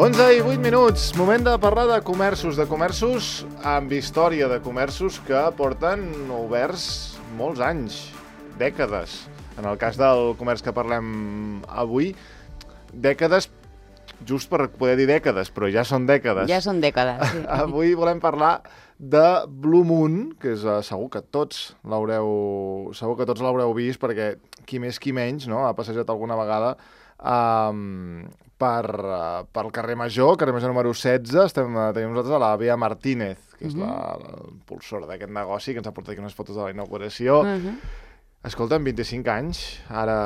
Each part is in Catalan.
11 i 8 minuts, moment de parlar de comerços amb història de comerços que porten oberts molts anys, dècades. En el cas del comerç que parlem avui, dècades, just per poder dir dècades, però ja són dècades. Ja són dècades, sí. Avui volem parlar de Blue Moon, que és, segur que tots l'haureu vist, perquè qui més qui menys, no?, ha passejat alguna vegada pel carrer Major número 16. Tenim nosaltres a la Via Martínez, que és l'impulsora d'aquest negoci, que ens ha portat aquí unes fotos de la inauguració. Escolta'm, 25 anys, ara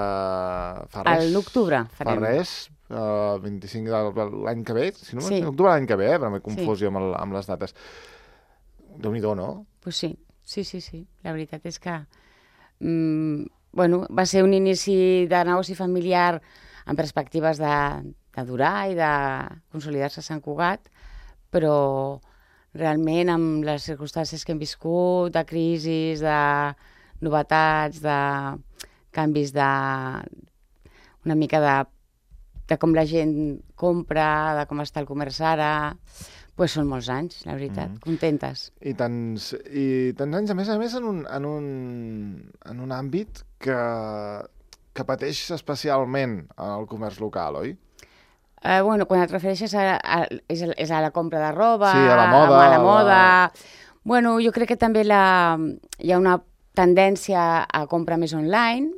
fa res. A l'octubre farem. Fa res, 25 de l'any que ve, si no Sí. l'octubre l'any que ve, però m'he confós jo amb les dates. Déu-n'hi-do, no? Pues sí. La veritat és que va ser un inici de negoci familiar amb perspectives de durar i de consolidar-se a Sant Cugat, però realment amb les circumstàncies que hem viscut, de crisis, de novetats, de canvis una mica de com la gent compra, de com està el comerç ara, doncs són molts anys, la veritat, contentes. I tants anys, a més, en un àmbit que pateix especialment el comerç local, oi? Quan et refereixes és a la compra de roba, sí, a la moda. A la moda. Jo crec que també hi ha una tendència a comprar més online.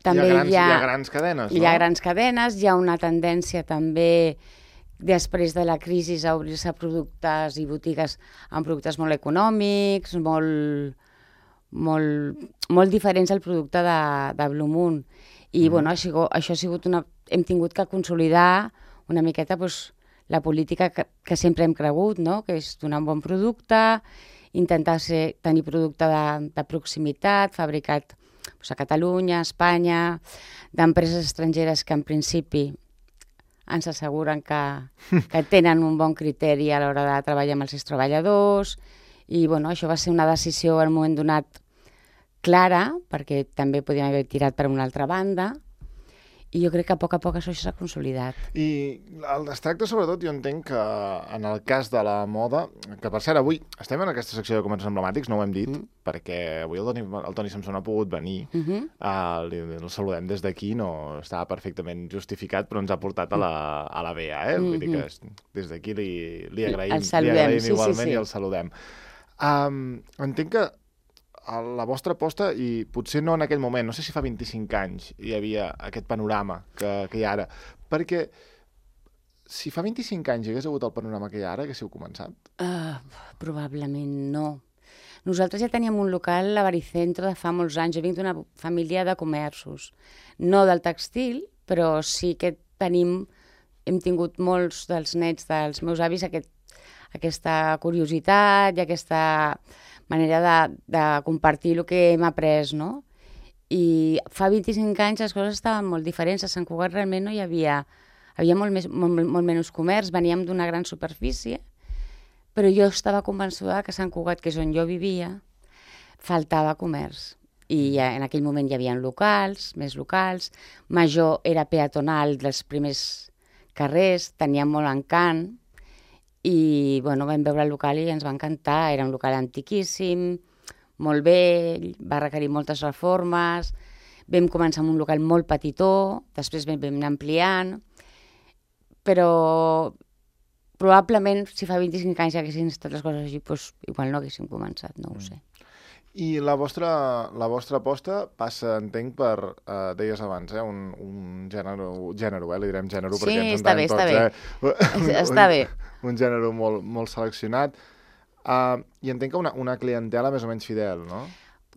També hi ha grans cadenes, no? Hi ha grans cadenes, hi ha una tendència també després de la crisi a obrir-se productes i botigues amb productes molt econòmics, molt diferents al producte de Blue Moon. I això ha sigut hem tingut que consolidar una miqueta la política que sempre hem cregut, no? Que és donar un bon producte, intentar tenir producte de proximitat, fabricat a Catalunya, a Espanya, d'empreses estrangeres que en principi ens asseguren que tenen un bon criteri a l'hora de treballar amb els seus treballadors. I això va ser una decisió en un moment donat clara, perquè també podíem haver tirat per una altra banda, i jo crec que a poc això s'ha consolidat. I es tracta, sobretot, jo entenc que en el cas de la moda, que per cert, avui estem en aquesta secció de comerços emblemàtics, no ho hem dit, perquè avui el Toni Samson ha pogut venir, el saludem des d'aquí, no estava perfectament justificat, però ens ha portat a la Bea, vull dir que des d'aquí li agraïm igualment i el saludem. Entenc que la vostra aposta, i potser no en aquell moment, no sé si fa 25 anys hi havia aquest panorama que hi ha ara, perquè si fa 25 anys hi hagués hagut el panorama que hi ha ara, haguéssiu començat? Probablement no. Nosaltres ja teníem un local a Baricentro de fa molts anys. Jo vinc d'una família de comerços, no del tèxtil, però sí que hem tingut molts dels nets dels meus avis aquesta curiositat i aquesta manera de compartir el que hem après, no? I fa 25 anys les coses estaven molt diferents. A Sant Cugat realment no hi havia molt menys comerç, veníem d'una gran superfície, però jo estava convençuda que a Sant Cugat, que és on jo vivia, faltava comerç. I en aquell moment hi havia locals, més locals, Major era peatonal dels primers carrers, tenia molt encant, i vam veure el local i ens va encantar. Era un local antiquíssim, molt vell, va requerir moltes reformes. Vam començar amb un local molt petitó, després vam anar ampliant, però probablement si fa 25 anys ja haguessin estat les coses així, igual no haguéssim començat, no ho sé. I la vostra aposta passa, entenc, per, deies abans, un gènere, li direm gènere, perquè ens entenem tots. Està bé. Un gènere molt seleccionat. I entenc que una clientela més o menys fidel, no?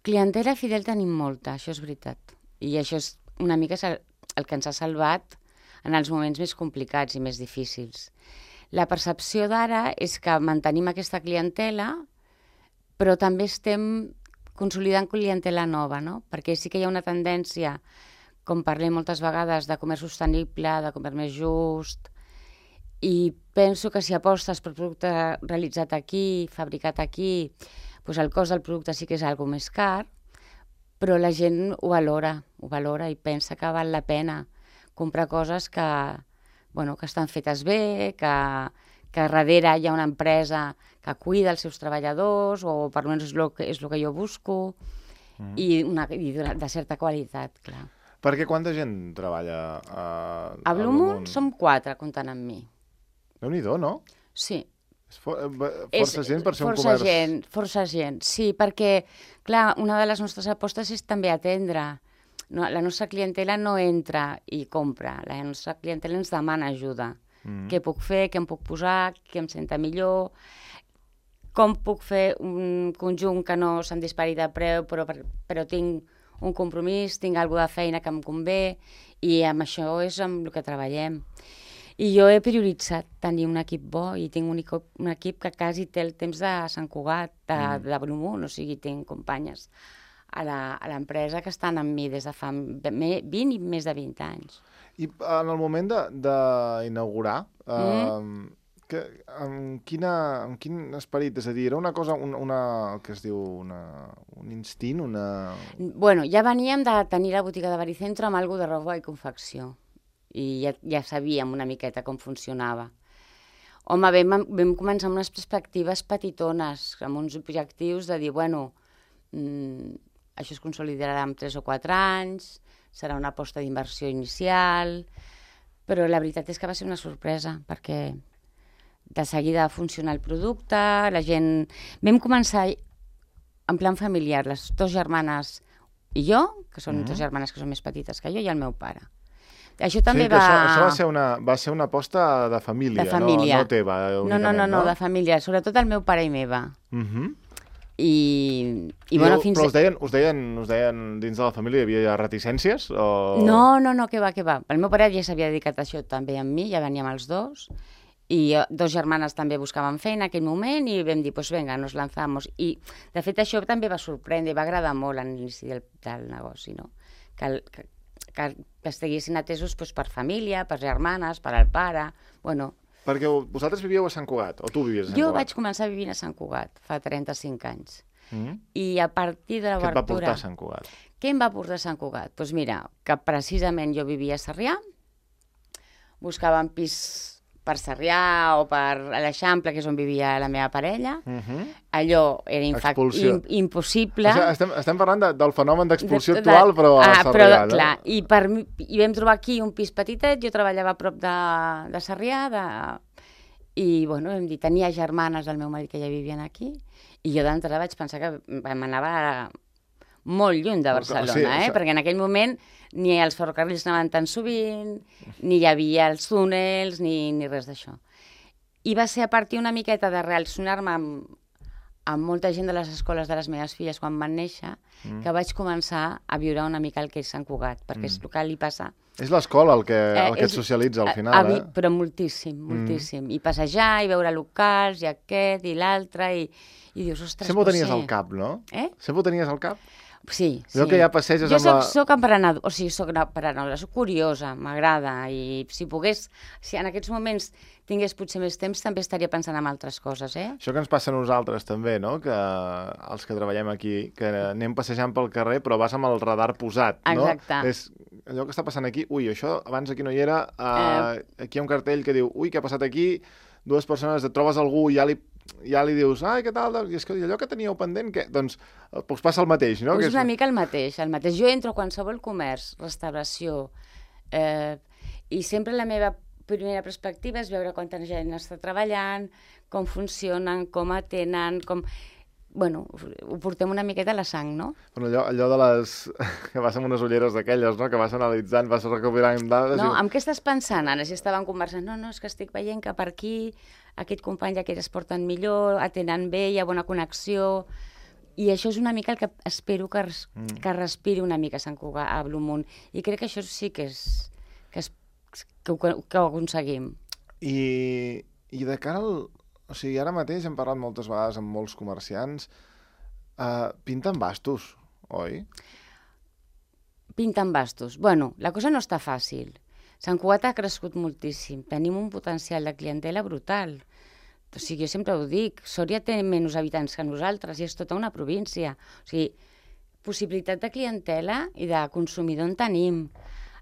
Clientela fidel tenim molta, això és veritat. I això és una mica el que ens ha salvat en els moments més complicats i més difícils. La percepció d'ara és que mantenim aquesta clientela, però també estem consolidant clientela nova, no? Perquè sí que hi ha una tendència, com parlem moltes vegades, de comerç sostenible, de comerç més just, i penso que si apostes per producte realitzat aquí, fabricat aquí, doncs el cost del producte sí que és algo més car, però la gent ho valora i pensa que val la pena comprar coses que bueno, que estan fetes bé, que darrere hi ha una empresa que cuida els seus treballadors, o per almenys és el que jo busco, i de certa qualitat, clar. Perquè quanta gent treballa a Blue Moon? Som 4, comptant amb mi. Déu-n'hi-do, no? Sí. És força gent per ser un comerç. Força gent, sí, perquè, clar, una de les nostres apostes és també atendre. No, la nostra clientela no entra i compra, la nostra clientela ens demana ajuda. Què puc fer, què em puc posar, què em senta millor, com puc fer un conjunt que no se'm dispari de preu, però tinc un compromís, tinc alguna de feina que em convé, i amb això és amb el que treballem. I jo he prioritzat tenir un equip bo, i tinc un equip que quasi té el temps de Sant Cugat, de Blue Moon, o sigui, tinc companyes a l'empresa que estan amb mi des de fa 20 i més de 20 anys. I en el moment d'inaugurar, amb quin esperit? És a dir, era una cosa, que es diu, un instint, Bueno, ja veníem de tenir la botiga de Baricentro amb alguna de roba i confecció. I ja sabíem una miqueta com funcionava. Home, vam començar amb unes perspectives petitones, amb uns objectius de dir, bueno, això es consolidarà en 3 o 4 anys, serà una aposta d'inversió inicial, però la veritat és que va ser una sorpresa, perquè de seguida va funcionar el producte, la gent... Vam començar en plan familiar, les 2 germanes i jo, que són 2 germanes que són més petites que jo, i el meu pare. Això també això va ser una aposta de família, no teva. No, de família, sobretot el meu pare i meva. Però us deien dins de la família, hi havia reticències? No, què va. El meu pare ja s'havia dedicat a això també amb mi, ja veníem els 2, i 2 germanes també buscaven feina en aquell moment, i vam dir, pues venga, nos lanzamos. I, de fet, això també va sorprendre i va agradar molt a l'inici del negoci, no? Que estiguessin atesos per família, per germanes, per el pare, bueno... Perquè vosaltres vivíeu a Sant Cugat, o tu vivies a Sant Cugat? Jo vaig començar vivint a Sant Cugat, fa 35 anys. I a partir de l'obertura... Què et va portar a Sant Cugat? Què em va portar a Sant Cugat? Doncs mira, que precisament jo vivia a Sarrià, buscava un pis per Sarrià o per l'Eixample, que és on vivia la meva parella. Allò era impossible. O sigui, estem parlant del fenomen d'expulsió actual, però a Sarrià. Clar, i vam trobar aquí un pis petitet, jo treballava a prop de Sarrià, i bueno, vam dir, tenia germanes del meu marit que ja vivien aquí, i jo d'entrada vaig pensar que m'anava molt lluny de Barcelona, perquè en aquell moment ni els ferrocarrils anaven tan sovint, ni hi havia els túnels, ni res d'això. I va ser a partir una miqueta de relacionar-me amb molta gent de les escoles de les meves filles quan van néixer, que vaig començar a viure una mica el que és Sant Cugat, perquè és el que li passa. És l'escola el que et socialitza al final, Però moltíssim. I passejar, i veure locals, i aquest, i l'altre, i dius, ostres, sempre ho tenies al cap, no? Sempre ho tenies al cap? Sí. Allò que ja passeges amb la... Jo soc emprenedora, o sigui, soc curiosa, m'agrada, i si en aquests moments tingués potser més temps, també estaria pensant en altres coses, Això que ens passa a nosaltres també, no? Que els que treballem aquí, que anem passejant pel carrer, però vas amb el radar posat, no? Exacte. És allò que està passant aquí, això abans aquí no hi era, aquí hi ha un cartell que diu, què ha passat aquí, 2 persones, et trobes algú i ja li dius, ai, què tal? I és que allò que teníeu pendent, què? Doncs passa el mateix, no? És una mica el mateix. Jo entro a qualsevol comerç, restauració, i sempre la meva primera perspectiva és veure quanta gent està treballant, com funcionen, com atenen, Bueno, ho portem una miqueta a la sang, no? Bueno, allò de les... que vas amb unes ulleres d'aquelles, no? Que vas analitzant, vas recopilant dades... No, amb què estàs pensant ara? Si estàvem conversant, no, és que estic veient que per aquí aquest company i aquest es porten millor, atenen bé, hi ha bona connexió... I això és una mica el que espero que respiri una mica Sant Cugat a Blue Moon. I crec que això sí que ho aconseguim. I de cara al... O sigui, ara mateix hem parlat moltes vegades amb molts comerciants. Pinten bastos, oi? Pinten bastos. Bueno, la cosa no està fàcil. Sant Cugat ha crescut moltíssim. Tenim un potencial de clientela brutal. O sigui, jo sempre ho dic, Sòria té menys habitants que nosaltres i és tota una província. O sigui, possibilitat de clientela i de consumidor en tenim.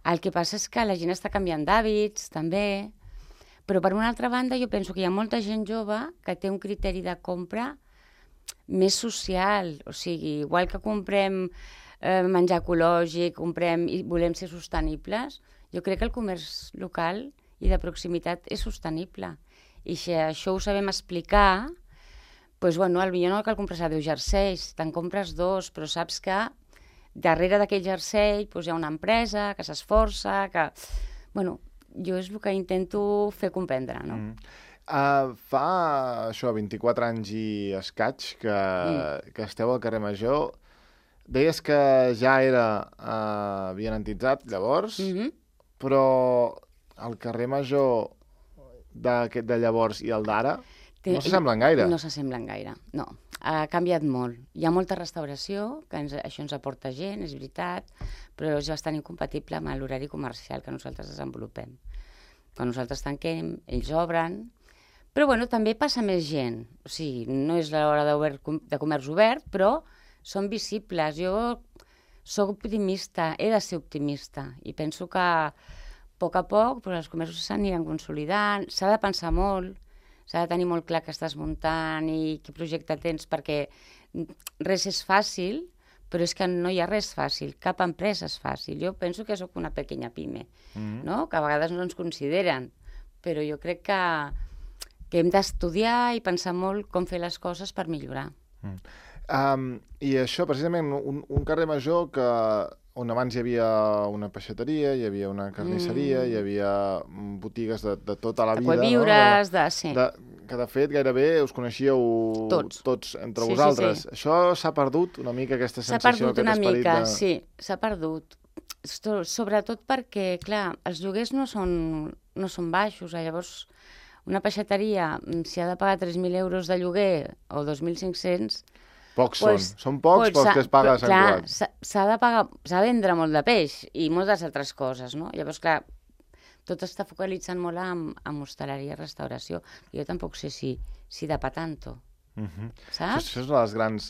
El que passa és que la gent està canviant d'hàbits, també. Però, per una altra banda, jo penso que hi ha molta gent jove que té un criteri de compra més social. O sigui, igual que comprem menjar ecològic, comprem i volem ser sostenibles, jo crec que el comerç local i de proximitat és sostenible. I si això ho sabem explicar, doncs, bueno, potser no cal comprar 10 jerseis, te'n compres 2, però saps que darrere d'aquell jersei doncs, hi ha una empresa que s'esforça, que... Bueno, jo és el que intento fer comprendre, no? Fa això, 24 anys i escaig que esteu al carrer Major. Deies que ja era avianantitzat llavors, però el carrer Major de llavors i el d'ara no s'assemblen gaire. No s'assemblen gaire, no. Ha canviat molt. Hi ha molta restauració, que això ens aporta gent, és veritat, però és bastant incompatible amb l'horari comercial que nosaltres desenvolupem. Quan nosaltres tanquem, ells obren, però bueno, també passa més gent. O sigui, no és l'hora de comerç obert, però són visibles. Jo sóc optimista, he de ser optimista, i penso que a poc doncs, els comerços s'aniran consolidant, s'ha de pensar molt, s'ha de tenir molt clar què estàs muntant i quin projecte tens, perquè res és fàcil, però és que no hi ha res fàcil, cap empresa és fàcil. Jo penso que sóc una pequeña pime, no? Que a vegades no ens consideren, però jo crec que hem d'estudiar i pensar molt com fer les coses per millorar. I això, precisament, un carrer Major on abans hi havia una peixateria, hi havia una carnisseria, hi havia botigues de tota la vida. Queviures, que de fet gairebé us coneixíeu tots entre vosaltres. Això s'ha perdut una mica, aquesta sensació, aquest esperit? S'ha perdut una mica, sí, s'ha perdut. Sobretot perquè, clar, els lloguers no són baixos. Llavors, una peixateria, si ha de pagar 3.000 euros de lloguer o 2.500... Pocs són pocs pels que es paga a Sant Cugat. S'ha de vendre molt de peix i moltes altres coses, no? Llavors, clar, tot està focalitzant molt en hostaleria i restauració. Jo tampoc sé si de pa tanto, saps? Això són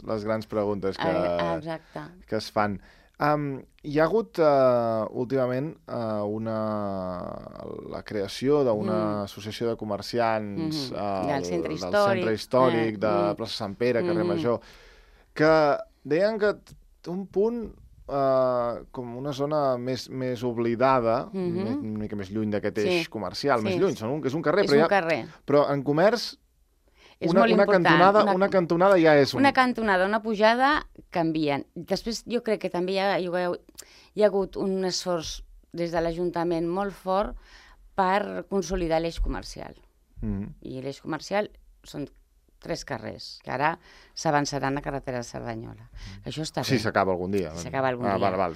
les grans preguntes que es fan. Hi ha hagut últimament la creació d'una associació de comerciants del centre històric de plaça Sant Pere, carrer Major, que deien que un punt com una zona més oblidada, una mica més lluny d'aquest eix comercial, més lluny, és un carrer, però en comerç una cantonada ja és... Una cantonada, una pujada, canvien. Després jo crec que també hi ha hagut un esforç des de l'Ajuntament molt fort per consolidar l'eix comercial. I l'eix comercial són 3 carrers, que ara s'avançaran a carretera de Cerdanyola. Això està bé. Sí, s'acaba algun dia. S'acaba algun dia.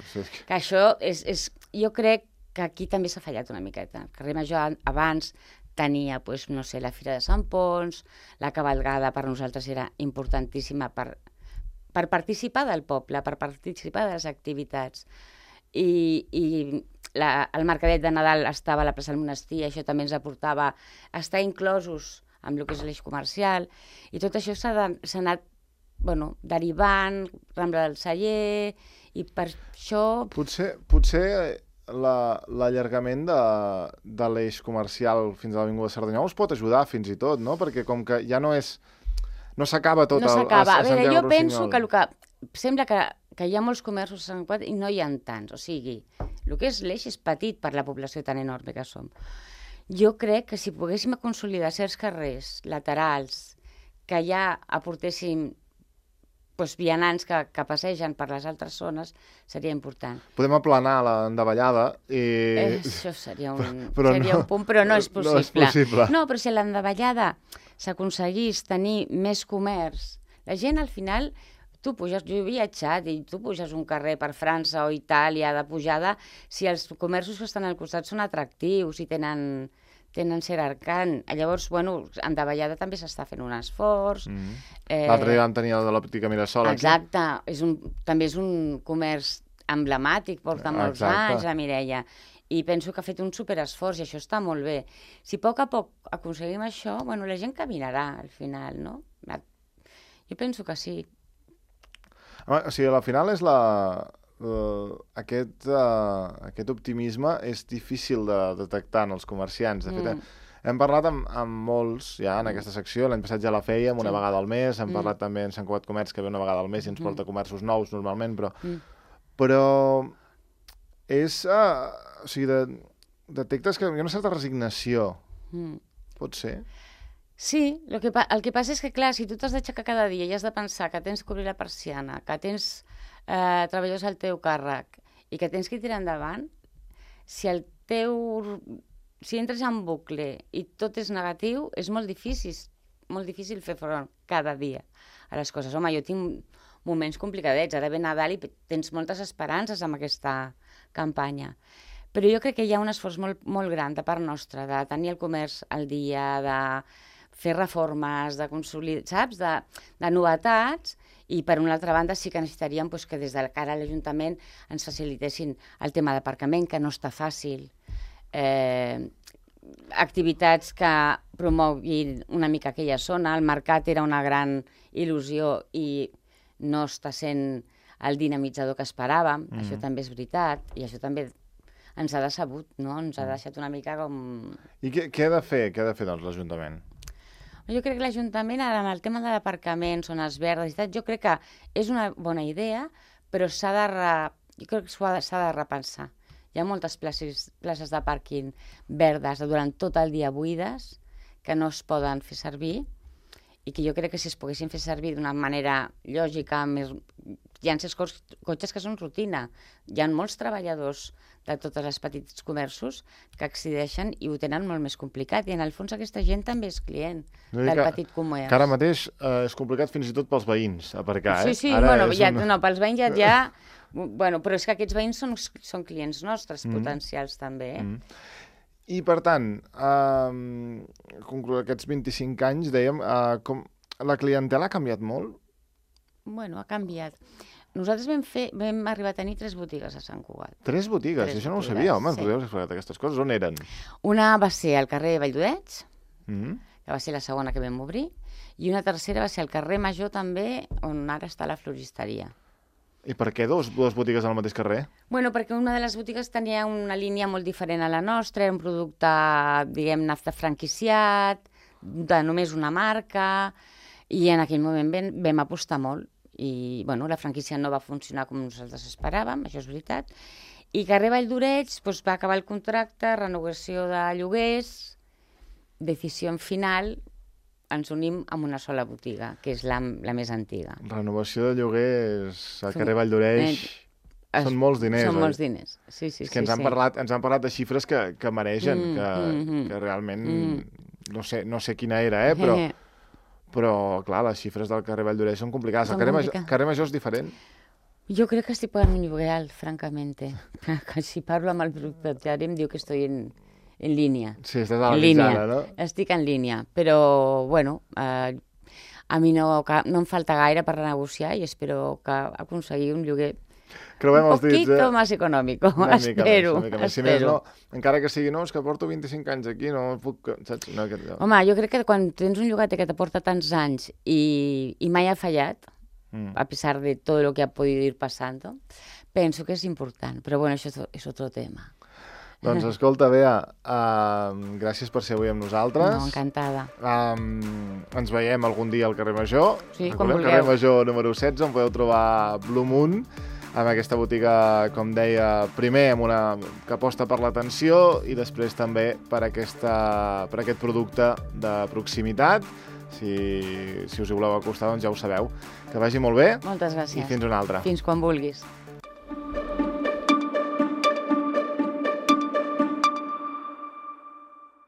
Que això és... Jo crec que aquí també s'ha fallat una miqueta. El carrer Major abans tenia, no sé, la Fira de Sant Pons, la cavalgada per nosaltres era importantíssima per participar del poble, per participar de les activitats. I el mercadet de Nadal estava a la plaça del Monestir, això també ens aportava a estar inclosos amb el que és l'eix comercial, i tot això s'ha anat derivant, Rambla del Celler, i per això... Potser l'allargament de l'eix comercial fins a l'Avinguda Cerdanyola us pot ajudar fins i tot, no? Perquè com que ja no s'acaba tot a veure, jo penso que sembla que hi ha molts comerços a Sant Cugat i no hi ha tants, o sigui, el que és l'eix és petit per la població tan enorme que som. Jo crec que si poguéssim consolidar certs carrers laterals que ja aportéssim vianants que passegen per les altres zones, seria important. Podem aplanar l'endavallada i... Això seria un punt, però no és possible. No, però si l'endavallada s'aconseguís tenir més comerç, la gent al final... Jo he viatjat i tu puges un carrer per França o Itàlia de pujada, si els comerços que estan al costat són atractius i tenen cert arcant. Llavors, en davallada també s'està fent un esforç. L'altre dia vam tenir el de l'òptica Mirasol. Exacte, també és un comerç emblemàtic, porta molts anys, la Mireia. I penso que ha fet un superesforç i això està molt bé. Si a poc aconseguim això, la gent caminarà al final, no? Jo penso que sí. O sigui, al final és aquest optimisme és difícil de detectar en els comerciants. De fet, Hem parlat amb molts ja en aquesta secció, l'any passat ja la fèiem una vegada al mes, hem parlat també en Sant Cugat Comerç que ve una vegada al mes i ens porta comerços nous normalment, però és... o sigui, detectes que hi ha una certa resignació, pot ser? Sí, el que passa és que, clar, si tu t'has d'aixecar cada dia i has de pensar que tens que obrir la persiana, que tens treballadors al teu càrrec i que tens que tirar endavant, si entres en bucle i tot és negatiu, és molt difícil fer front cada dia a les coses. Home, jo tinc moments complicadets, ara ve Nadal i tens moltes esperances amb aquesta campanya. Però jo crec que hi ha un esforç molt gran de part nostra, de tenir el comerç al dia, de fer reformes, de consolidar, saps? De novetats, i per una altra banda sí que necessitaríem que des de cara a l'Ajuntament ens facilitessin el tema d'aparcament, que no està fàcil, activitats que promoguin una mica aquella zona. El mercat era una gran il·lusió i no està sent el dinamitzador que esperàvem, això també és veritat, i això també ens ha decebut, no? Ens ha deixat una mica com... I què ha de fer, doncs, l'Ajuntament? Jo crec que l'Ajuntament, ara, en el tema de l'aparcament, zones verdes i tal, jo crec que és una bona idea, però jo crec que s'ha de repensar. Hi ha moltes places de pàrquing verdes durant tot el dia buides que no es poden fer servir i que jo crec que si es poguessin fer servir d'una manera lògica, hi ha certs cotxes que són rutina. Hi ha molts treballadors de tots els petits comerços que accedeixen i ho tenen molt més complicat. I en el fons aquesta gent també és client del petit comerç. Que ara mateix és complicat fins i tot pels veïns aparcar, Sí, pels veïns ja... Bueno, però és que aquests veïns són clients nostres potencials també, I, per tant, aquests 25 anys, dèiem, la clientela ha canviat molt? Bueno, ha canviat. Nosaltres vam arribar a tenir 3 botigues a Sant Cugat. 3 botigues? Això no ho sabia, home. Ens podeu explicar aquestes coses? On eren? Una va ser al carrer Valldorets, que va ser la segona que vam obrir, i una tercera va ser al carrer Major també, on ara està la floristeria. I per què dues botigues al mateix carrer? Bueno, perquè una de les botigues tenia una línia molt diferent a la nostra, era un producte, diguem-ne, franquiciat, de només una marca, i en aquell moment vam apostar molt. I, bueno, la franquícia no va funcionar com nosaltres esperàvem, això és veritat, i carrer Valldorets va acabar el contracte, renovació de lloguers, decisió final, ens unim amb una sola botiga, que és la més antiga. Renovació de lloguers a carrer Valldoreix són molts diners. Són molts diners, sí. És que ens han parlat de xifres que mereixen, que realment no sé quina era, però clar, les xifres del carrer Valldoreix són complicades. El carrer Major és diferent? Jo crec que estic pagant un lloguer alt, francamente. Si parlo amb el propietari em diu que estoy en línia. Sí, estàs a la mitjana, no? Estic en línia, però, bueno, a mi no em falta gaire per renegociar i espero que aconseguir un lloguer un poquito más económico, espero. Si més no, encara que sigui, no, és que porto 25 anys aquí, no puc... Saps? Home, jo crec que quan tens un llogater que te porta tants anys i mai ha fallat, a pesar de todo lo que ha podido ir pasando, penso que és important. Però, bueno, això és otro tema. Doncs escolta, Bea, gràcies per ser avui amb nosaltres. No, encantada. Ens veiem algun dia al carrer Major. Sí, quan vulgueu. Carrer Major número 16, on podeu trobar Blue Moon, amb aquesta botiga, com deia, primer que aposta per l'atenció i després també per aquest producte de proximitat. Si us hi voleu acostar, doncs ja ho sabeu. Que vagi molt bé. Moltes gràcies. I fins una altra. Fins quan vulguis.